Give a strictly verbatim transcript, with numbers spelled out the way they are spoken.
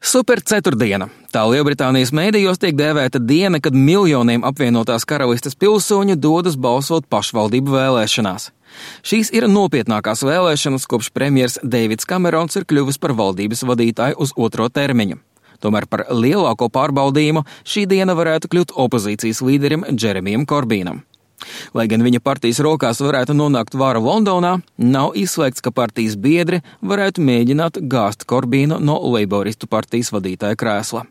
Super ceturtdiena. Tā Lielbritānijas mēdījos tiek dēvēta diena, kad miljoniem apvienotās karalistes pilsoņu dodas balsot pašvaldību vēlēšanās. Šīs ir nopietnākās vēlēšanas, kopš premjers Deivids Kamerons ir kļuvis par valdības vadītāju uz otro termiņu. Tomēr par lielāko pārbaudījumu šī diena varētu kļūt opozīcijas līderim Džeremijam Korbīnam. Lai gan viņa partijas rokās varētu nonākt vara Londonā, nav izslēgts, ka partijas biedri varētu mēģināt gāzt Korbīnu no Leiboristu partijas vadītāja krēsla.